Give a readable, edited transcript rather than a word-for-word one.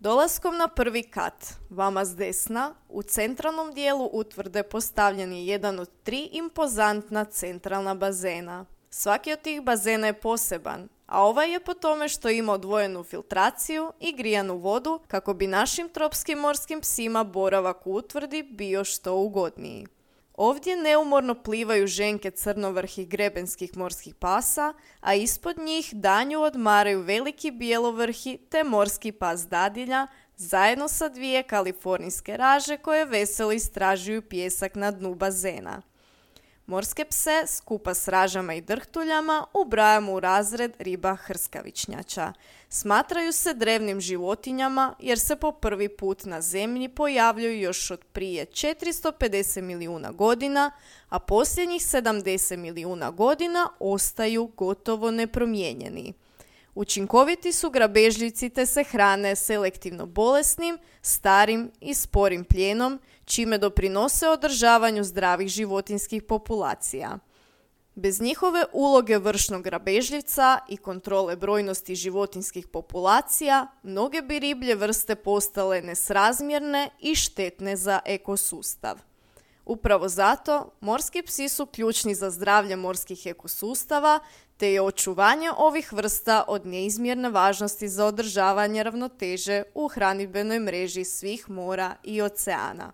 Dolaskom na prvi kat, vama s desna, u centralnom dijelu utvrde postavljen je jedan od 3 impozantna centralna bazena. Svaki od tih bazena je poseban, a ovaj je po tome što ima odvojenu filtraciju i grijanu vodu kako bi našim tropskim morskim psima boravak u utvrdi bio što ugodniji. Ovdje neumorno plivaju ženke crnovrhih grebenskih morskih pasa, a ispod njih danju odmaraju veliki bijelovrhi te morski pas dadilja, zajedno sa 2 kalifornijske raže koje veselo istražuju pijesak na dnu bazena. Morske pse, skupa s ražama i drhtuljama, ubrajamo u razred riba hrskavičnjača. Smatraju se drevnim životinjama jer se po prvi put na zemlji pojavljuju još od prije 450 milijuna godina, a posljednjih 70 milijuna godina ostaju gotovo nepromijenjeni. Učinkoviti su grabežljivci te se hrane selektivno bolesnim, starim i sporim plijenom, čime doprinose održavanju zdravih životinjskih populacija. Bez njihove uloge vršnog grabežljivca i kontrole brojnosti životinjskih populacija, mnoge bi riblje vrste postale nesrazmjerne i štetne za ekosustav. Upravo zato, morski psi su ključni za zdravlje morskih ekosustava, te je očuvanje ovih vrsta od neizmjerne važnosti za održavanje ravnoteže u hranidbenoj mreži svih mora i oceana.